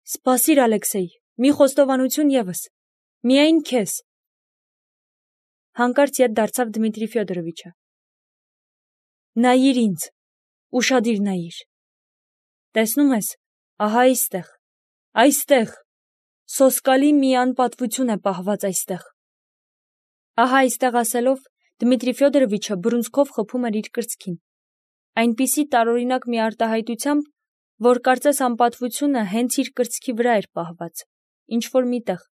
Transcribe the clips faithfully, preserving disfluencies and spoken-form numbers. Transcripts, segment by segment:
Սպասիր, Ալեքսեյ, մի խոստովանություն ևս, միայն քեզ։ Հանկարծ ետ դարձավ Դմիտրի Ֆյոդորովիչը։ Նայիր ինձ, ուշադիր նայիր։ Տեսնում ես, ահա այստեղ, այստեղ, սոսկալի մի անպատվություն է պահված այստեղ։ Ահա այստեղ ասելով, Դմիտրի Ֆյոդորովիչը բռունցքով խփում էր իր կրծքին, այնպիսի տարօրինակ մի արտահայտությամբ, որ կարծես անպատվությունը հենց իր կրծքի վրա էր պահված, ինչ-որ միտեղ,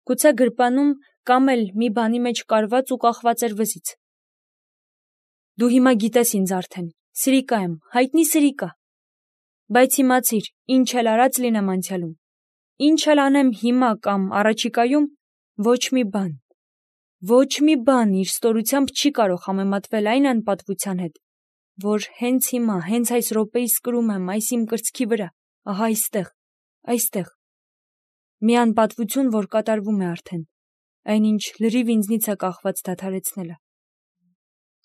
գուցե գրպանում կամ էլ մի բանի մեջ կարված ու կախված էր վզից։ Դու հիմա գիտես ինձ արդեն, սրիկա եմ, հայտնի սրիկա, բայց իմացիր, ինչ էլ արած լինեմ անցյալում, ինչ էլ անեմ հիմա կամ առաջիկայում, ոչ մի բան, ոչ մի բան իր ստորությամբ չի կարող համեմատվել այն անպատվության հետ, որ հենց հիմա, հենց այս րոպեիս կրում եմ այս իմ կրծքի վրա, ահա այստեղ, այստեղ, մի անպատվություն, որ կատարվում է արդեն, այնինչ լրիվ ինձնից է կախված դադարեցնելը։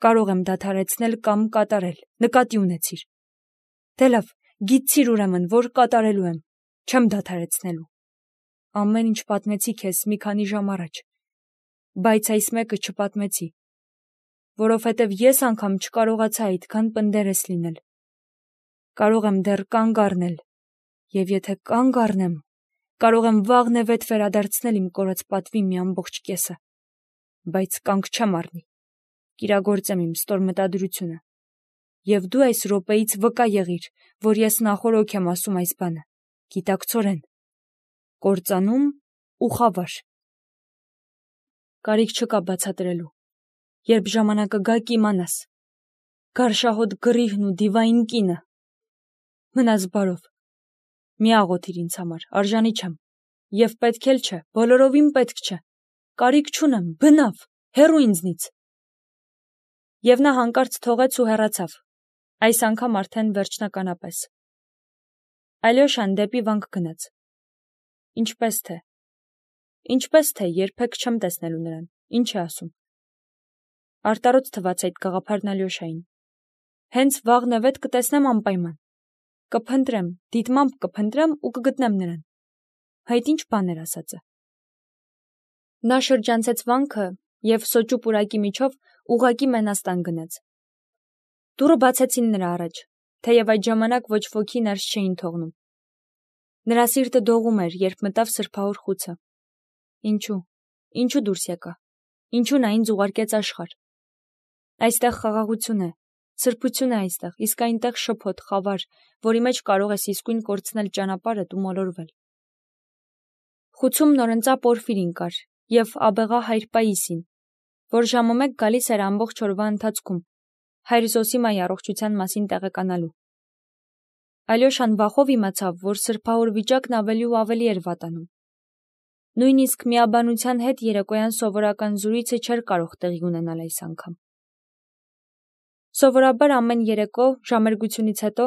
Կարող եմ դադարեցնել կամ կատարել, նկատի ունեցիր։ Դե լավ, գիտցիր ուրեմն, որ կատարելու եմ, չեմ դադարեցնելու։ Ամեն ինչ պատմեցի քեզ մի քանի ժամ առաջ, բայց այս մեկը չպատմեցի, որովհետև ես անգամ չկարողացա այդքան պնդերես լինել։ Կարող եմ դեռ կանգ առնել, և եթե կանգ առնեմ, կարող եմ վաղնևեթ վերադարձնել իմ կորած պատվի մի ամբողջ կեսը, բայց կանգ չեմ առնի, կիրագործեմ իմ ստոր մտադրությունը, և դու այս րոպեից վկա եղիր, որ ես նախօրոք եմ ասում այս բանը, գիտակցորեն, կործանում ու խավար։ Կարիք չկա բացատրելու, երբ ժամանակը գա կիմանաս, գարշահոտ գրիհն ու դիվային կինը։ Մնաս բարով, մի աղոթիր ինձ համար, արժանի չեմ, և պետք էլ չէ, բոլորովին պետք չէ, կարիք չունեմ, բնավ, հեռու ինձնից։ Եվ նա հանկարծ թողեց ու հեռացավ, այս անգամ արդեն վերջնականապես։ Ալյոշան դեպի վանք գնաց։ Ինչպես թե, ինչպես թե, երբեք չեմ տեսնելու նրան, ինչ է ասում։ Արտարոց թվաց այդ գաղափարն Ալյոշային։ Հենց վաղնևեթ կտեսնեմ անպայման։ Կփնտրեմ, դիտմամբ կփնտրեմ ու կգտնեմ նրան։ Հայտ ինչ բան էր ասածը։ Նա շրջանցեց վանքը և սոճու պուրակի միջով ուղղակի Մենաստան գնաց։ Դուռը բացեցին նրա առաջ, թեև այդ ժամանակ ոչ ոքի ներս չէին թողնում։ Նրա սիրտը դողում էր, երբ մտավ սրբահոր խուցը։ Ինչու, ինչու դուրս եկա, ինչու նա ինձ ուղարկեց աշխարհ։ Այստեղ խաղաղություն է, սրբություն է այստեղ, իսկ այնտեղ շփոթ, խավար, որի մեջ կարող ես իսկույն կորցնել ճանապարհդ ու մոլորվել։ Խուցում նորընծա Պորֆիրին կար և աբեղա հայր Պաիսին, որ ժամը մեկ գալիս էր ամբողջ օրվա ընթացքում, հայր Զոսիմայի առողջության մասին տեղեկանալու։ Ալյոշան վախով իմացավ, որ սրբահոր վիճակն ավելի ու ավելի էր վատանում։ Նույնիսկ միաբանության հետ երեկոյան սովորական զրույցը չէր կարող տեղի ունենալ այս անգամ։ Սովորաբար ամեն երեկո ժամերգությունից հետո,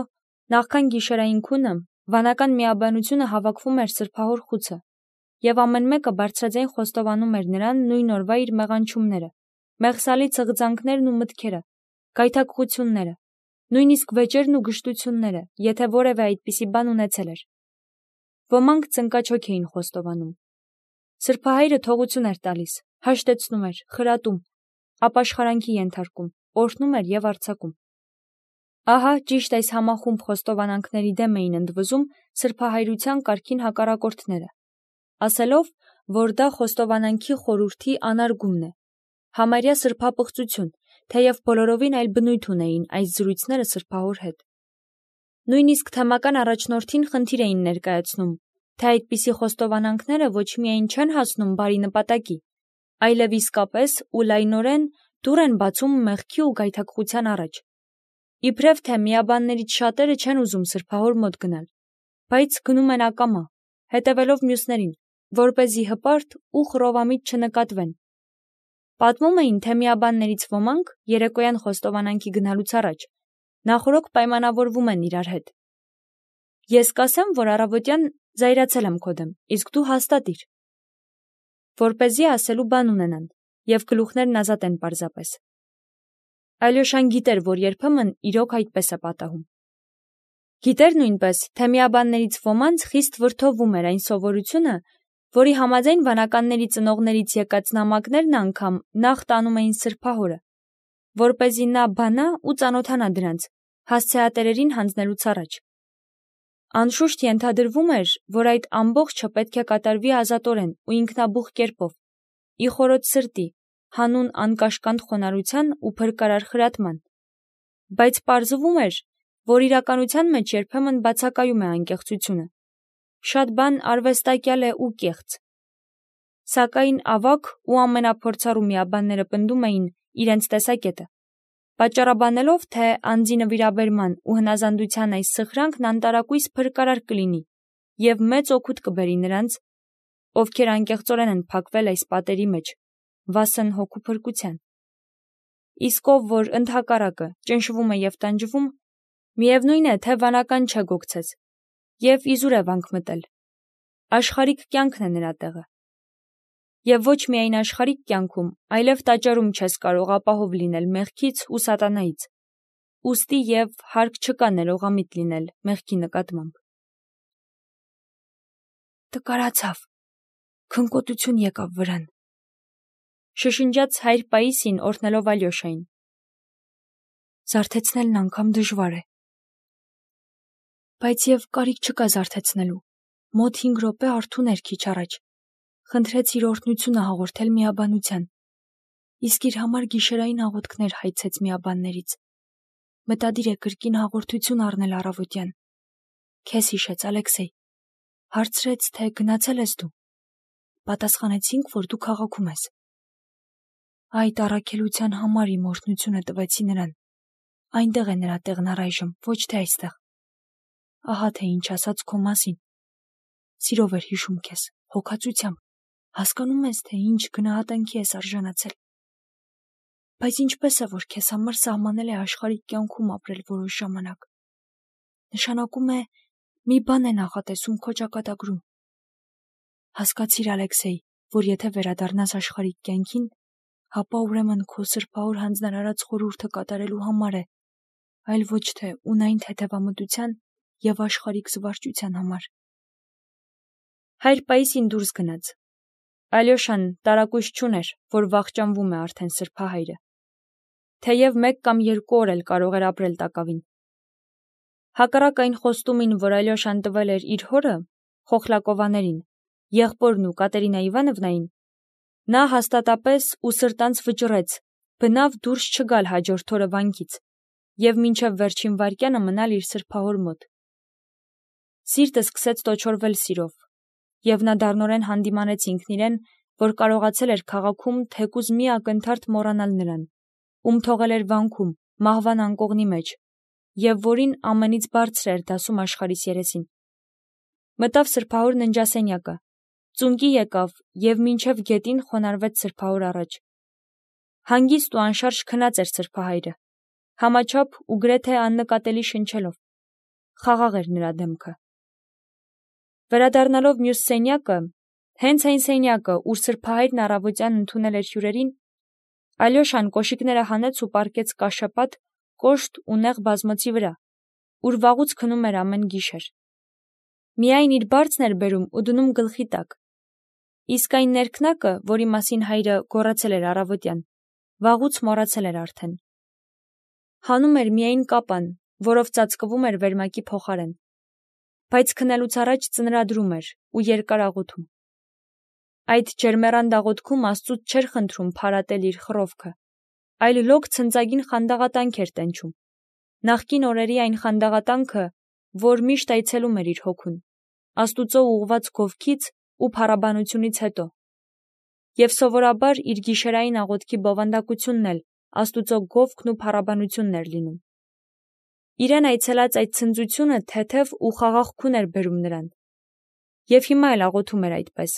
նախքան գիշերային քունը, վանական միաբանությունը հավաքվում էր սրբահոր խուցը, և ամեն մեկը բարձրաձայն խոստովանում էր նրան նույն օրվա իր մեղանչումները, մեղսալի ցղծանքներն ու մտքերը, գայթակղությունները, նույնիսկ վեճերն ու գժտությունները, եթե որևէ այդպիսի բան ունեցել էր։ Ոմանք ծնկաչոք էին խոստովանում։ Սրբահայրը թողություն էր տալիս, հաշտեցնում էր, խրատում, ապաշխարանքի ենթարկում, օրհնում էր և արձակում։ Ահա ճիշտ այս համախումբ խոստովանանքների դեմ էին ընդվզում սրբահայրության կարգին հակառակորդները, ասելով, որ դա խոստովանանքի խորհրդի անարգումն է, համարյա սրբապղծություն, թեև բոլորովին այլ բնույթ ունեին այս զրույցները սրբահոր հետ։ Նույնիսկ թեմական առաջնորդին խնդիր էին ներկայացնում, թե այդպիսի խոստովանանքները ոչ միայն չեն հասնում բարի նպատակի, այլև իսկապես ու լայնորեն դուռ են բացում մեղքի ու գայթակղության առաջ։ Իբրև թե միաբաններից շատերը չեն ուզում սրբահոր մոտ գնալ, բայց գնում են ակամա, հետևելով մյուսներին, որպեսզի հպարտ ու խռովամիտ չնկատվեն։ Պատմում էին, թե միաբաններից ոմանք երեկոյան խոստովանանքի գնալուց առաջ նախօրոք պայմանավորվում են իրար հետ։ Ես կասեմ, որ առավոտյան զայրացել եմ քո դեմ, իսկ դու հաստատիր, որպեսզի ասելու բան ունենան, և գլուխներն ազատեն պարզապես։ Ալյոշան գիտեր, որ երբեմն իրոք այդպես է պատահում։ Գիտեր նույնպես, թե միաբաններից ոմանց խիստ վրդովում էր այն սովորությունը, որի համաձայն վանականների ծնողներից եկած նամակներն անգամ նախ տանում էին սրբահորը, որպեսզի նա բանա ու ծանոթանա դրանց, հասցեատերերին հանձնելուց առաջ։ Անշուշտ ենթադրվում էր, որ այդ ամբողջը պետք է կատարվի ազատորեն ու ինքնաբուխ կերպով, ի խորոց սրտի, հանուն անկաշկանդ խոնարհության ու փրկարար խրատման, բայց պարզվում էր, որ իրականության մեջ երբեմն բացակայում է անկեղծությունը, շատ բան արվեստակյալ է ու կեղծ։ Սակայն ավագ ու ամենափորձառու միաբանները պնդում էին իրենց տեսակետը, պատճառաբանելով, թե անձի նվիրաբերման ու հնազանդության այս սխրանքն անտարակույս փրկարար կլինի և մեծ օգուտ կբերի նրանց, ովքեր անկեղծորեն են փակվել այս պատերի մեջ, վասն հոգու փրկության։ Իսկ ով որ ընդհակառակը ճնշվում է և տանջվում, միևնույն է, թե վանական չէ գոգցես, և իզուր է վանք մտել, աշխարհիկ կյանքն է նրա տեղը։ Եվ ոչ միայն աշխարհիկ կյանքում, այլև տաճարում չես կարող ապահով լինել մեղքից ու սատանայից, ուստի և հարկ չկա ներողամիտ լինել մեղքի նկատմամբ։ Տկարացավ, քնկոտություն եկավ վրան, շշնջաց հայր Պաիսին օրհնելով Ալյոշային։ Զարթեցնելն անգամ դժվար է։ Բայց և կարիք չկա զարթեցնելու, մոտ հինգ րոպե արթուն էր քիչ առաջ, խնդրեց իր օրհնությունը հաղորդել միաբանության, իսկ իր համար գիշերային աղոթքներ հայցեց միաբաններից։ Մտադիր է կրկին հաղորդություն առնել առավոտյան։ Քեզ հիշեց, Ալեքսեյ, հարցրեց, թե գնացել ես դու։ Պատասխանեցինք, որ դու քաղաքում ես։ Այդ առաքելության համար իմ օրհնությունը տվեցի նրան։ Այնտեղ է նրա տեղն առայժմ, ոչ թե այստեղ։ Ահա թե ինչ ասաց քո մասին։ Սիրով էր հիշում քեզ, հոգածությամբ, հասկանում ես, թե ինչ գնահատանքի ես արժանացել։ Բայց ինչպես է, որ քեզ համար սահմանել է աշխարհիկ կյանքում ապրել որոշ ժամանակ։ Նշանակում է, մի բան է նախատեսում քո ճակատագրում։ Հասկացիր, Ալեքսեյ, որ եթե վերադառնաս աշխարհիկ կյանքին, ապա ուրեմն քո սրբահոր հանձնարարած խորհուրդը կատարելու համար է, այլ ոչ թե ունայն թեթևամտության և աշխարհիկ զվարճության համար։ Հայր Պաիսին դուրս գնաց։ Ալյոշան տարակույս չուներ, որ վախճանվում է արդեն սրբահայրը, թեև մեկ կամ երկու օր էլ կարող էր ապրել տակավին։ Հակառակ այն խոստումին, որ Ալյոշան տվել էր իր հորը, Խոխլակովաներին, եղբորն ու Կատերինա Իվանովնային, նա հաստատապես ու սրտանց վճռեց բնավ դուրս չգալ հաջորդ օրը վանքից և մինչև վերջին վայրկյանը մնալ իր սրբահոր մոտ։ Սիրտը սկսեց տոչորվել սիրով, և նա դառնորեն հանդիմանեց ինքն իրեն, որ կարողացել էր քաղաքում թեկուզ մի ակնթարթ մոռանալ նրան, ում թողել էր վանքում, մահվան անկողնի մեջ, և որին ամենից բարձր էր դասում աշխարհիս երեսին։ Մտավ սրբահոր ննջասենյակը, ծունկի եկավ և մինչև գետին խոնարհվեց սրբահոր առաջ։ Հանգիստ ու անշարժ քնած էր սրբահայրը, համաչափ ու գրեթե աննկատելի շնչելով։ Խաղաղ էր նրա դեմքը։ Վերադառնալով մյուս սենյակը, հենց այն սենյակը, ուր սրբահայրն առավոտյան ընդունել էր հյուրերին, Ալյոշան կոշիկները հանեց ու պառկեց կաշեպատ, կոշտ ու նեղ բազմոցի վրա, ուր վաղուց քնում էր ամեն գիշեր։ Միայն իր բարձն էր բերում ու դնում գլխի տակ, իսկ այն ներքնակը, որի մասին հայրը գոռացել էր առավոտյան, վաղուց մոռացել էր արդեն։ Հանում էր միայն կապան, որով ծածկվում էր վերմակի փոխարեն, բայց քնելուց առաջ ծնրադրում էր ու երկար աղոթում։ Այդ ջերմեռանդ աղոթքում Աստծուց չէր խնդրում փարատել իր խռովքը, այլ լոկ ցնծագին խանդաղատանք էր տենչում, նախկին օրերի այն խանդաղատանքը, որ միշտ այցելում էր իր հոգուն, Աստուծո ուղղված գովքից ու փառաբանությունից հետո, և սովորաբար իր գիշերային աղոթքի բովանդակությունն էլ Աստուծո գովքն ու փառաբանությունն էր լինում։ Իրեն այցելած այդ ցնծությունը թեթև ու խաղաղքուն էր բերում նրան, և հիմա էլ աղոթում էր այդպես։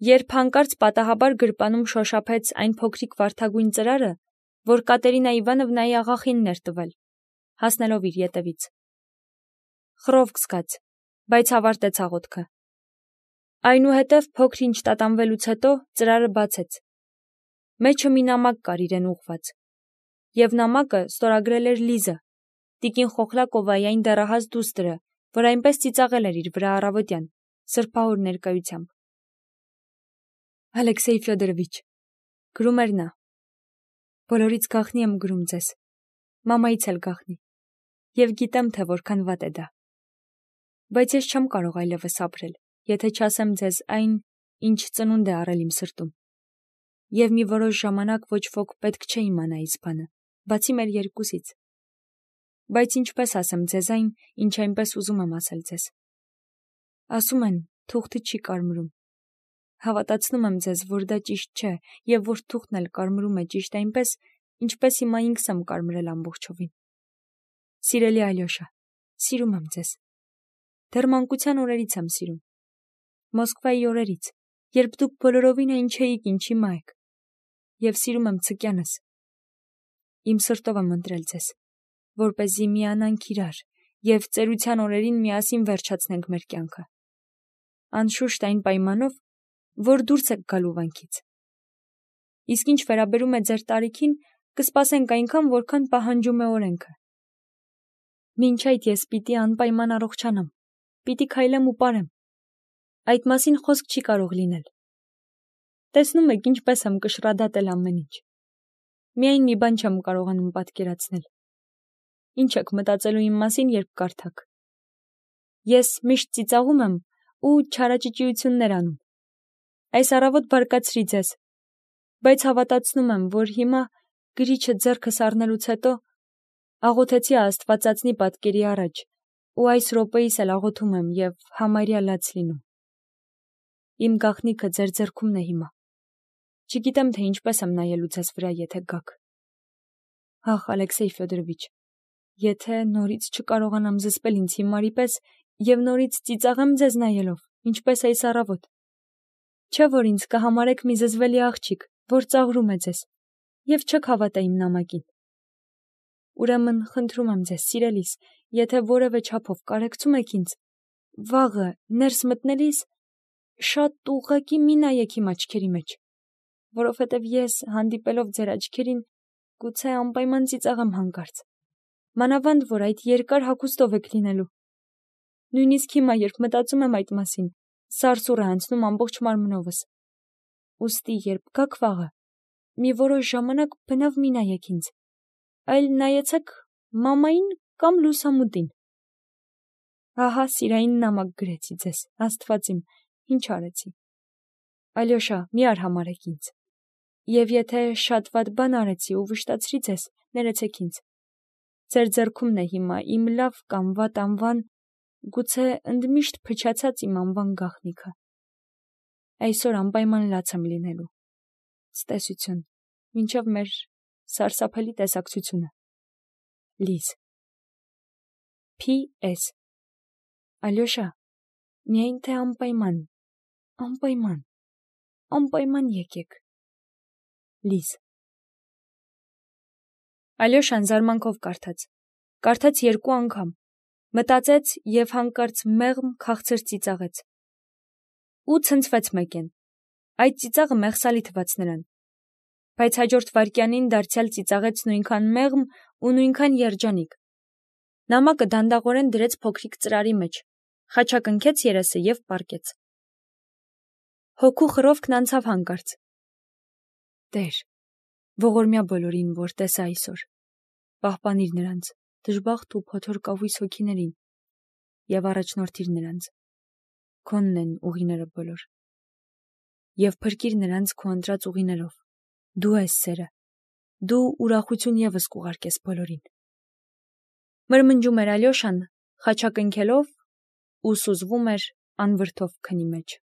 Երբ հանկարծ պատահաբար գրպանում շոշափեց այն փոքրիկ վարդագույն ծրարը, որ Կատերինա Իվանովնայի աղախինն էր տվել, հասնելով իր ետևից։ Խռովք զգաց, բայց ավարտեց աղոթքը։ Այնուհետև փոքր-ինչ տատանվելուց հետո ծրարը բացեց։ Մեջը մի նամակ կար իրեն ուղղված, և նամակը ստորագրել էր Լիզը, Տիկին Խոխլակովայի այն դեռահաս դուստրը, որ այնպես ծիծաղել էր իր վրա առավոտյան, սրբահոր ներկայությամբ։ Ալեքսեյ Ֆյոդորովիչ, գրում էր նա, բոլորից գաղտնի եմ գրում ձեզ, մամայից էլ գաղտնի, և գիտեմ, թե որքան վատ է դա։ Բայց ես չեմ կարող այլևս ապրել, եթե չասեմ ձեզ այն, ինչ ծնունդ է առել իմ սրտում։ Եվ մի որոշ ժամանակ ոչ ոք պետք չէ իմանա այս բանը, բացի մեր երկուսից։ Բայց ինչպես ասեմ ձեզ այն, ինչ այնպես ուզում եմ ասել ձեզ։ Ասում են, թուղթը չի կարմրում։ Հավատացնում եմ ձեզ, որ դա ճիշտ չէ, և որ թուղթն էլ կարմրում է ճիշտ այնպես, ինչպես հիմա ինքս եմ կարմրել ամբողջովին։ Սիրելի Ալյոշա, սիրում եմ ձեզ։ Դեռ մանկության օրերից եմ սիրում։ Մոսկվայի օրերից, երբ դուք բոլորովին այն չէիք, ինչ հիմա եք։ Եվ սիրում եմ ցկյանս։ Իմ սրտով եմ ընտրել ձեզ, որպեսզի միանանք իրար և ծերության օրերին միասին վերջացնենք մեր կյանքը։ Անշուշտ այն պայմանով, որ դուրս եք գալու վանքից։ Իսկ ինչ վերաբերում է ձեր տարիքին, կսպասենք այնքան, որքան պահանջում է օրենքը։ Մինչ այդ ես պիտի անպայման առողջանամ, պիտի քայլեմ ու պարեմ։ Այդ մասին խոսք չի կարող լինել։ Տեսնում եք, ինչպես եմ կշռադատել ամեն ինչ։ Միայն մի բան չեմ կարողանում պատկերացնել։ Ինչ եք մտածելու իմ մասին, երբ կարդաք։ Ես միշտ ծիծաղում եմ ու չարաճճիություններ անում։ Այս առավոտ բարկացրի ձեզ, բայց հավատացնում եմ, որ հիմա գրիչը ձեռքս առնելուց հետո աղոթեցի Աստվածածնի պատկերի առաջ ու այս րոպեիս էլ աղոթում եմ և համարյա լաց լինում։ Իմ գաղտնիքը ձեր ձեռքումն է հիմա։ Չգիտեմ, թե ինչպես եմ նայելու ձեզ վրա, եթե գաք։ Ախ, Ալեքսեյ Ֆյոդորովիչ, եթե նորից չկարողանամ զսպել ինձ հիմարի պես և նորից ծիծաղեմ ձեզ նայելով, ինչպես այս առավոտ, չէ՞ որ ինձ կհամարեք մի զզվելի աղջիկ, որ ծաղրում է ձեզ, և չեք հավատա իմ նամակին։ Ուրեմն խնդրում եմ ձեզ, սիրելիս, եթե որևէ չափով կարեկցում եք ինձ, վաղը ներս մտնելիս շատ ուղղակի մի նայեք իմ աչքերի մեջ, որովհետև ես, հանդիպելով ձեր աչքերին, գուցե անպայման ծիծաղեմ հանկարծ, մանավանդ որ այդ երկար հագուստով եք լինելու։ Նույնիսկ հիմա, երբ մտածում եմ այդ մասին, սարսուռ է անցնում ամբողջ մարմնովս։ Ուստի, երբ գաք վաղը, մի որոշ ժամանակ բնավ մի նայեք ինձ, այլ նայեցեք մամային կամ լուսամուտին։ Ահա, սիրային նամակ գրեցի ձեզ, Աստված իմ, ինչ արեցի։ Ալյոշա, մի արհամարհեք ինձ։ Եվ եթե շատ վատ բան արեցի ու վշտացրի ձեզ, ներեցեք ինձ։ Ձեր ձեռքումն է հիմա իմ լավ կամ վատ անվան, գուցե ընդմիշտ փչացած իմ անվան գաղտնիքը։ Այսօր անպայման լաց եմ լինելու։ Ցտեսություն, մինչև մեր սարսափելի տեսակցությունը։ Լիզ։ Փ S Ալյոշա, միայն թե անպայման, անպայման, անպայման եկեք։ Լիզ։ Ալյոշան զարմանքով կարդաց։ Կարդաց երկու անգամ։ Մտածեց և հանկարծ մեղմ քաղցր ծիծաղեց։ Ու ցնցվեց մեկեն։ Այդ ծիծաղը մեղսալի թվաց նրան։ Բայց հաջորդ վայրկյանին դարձյալ ծիծաղեց նույնքան մեղմ ու նույնքան երջանիկ։ Նամակը դանդաղորեն դրեց փոքրիկ ծրարի մեջ, խաչակնքեց երեսը և պառկեց։ Հոգու խռովքն անցավ հանկարծ։ Տեր, ողորմյա բոլորին, որ տեսա այսօր, պահպանիր նրանց, դժբախտ ու փոթոր կավույս հոգիներին, և առաջնորդիր նրանց, քոնն են ուղիները բոլոր, և փրկիր նրանց քո ընտրած ուղիներով, դու ես սերը, դու ուրախություն ևս կուղարկես բոլորին։ Մրմնջում էր Ալյոշան, խաչակնքելով ու սուզվում էր անվրդով քնի մեջ։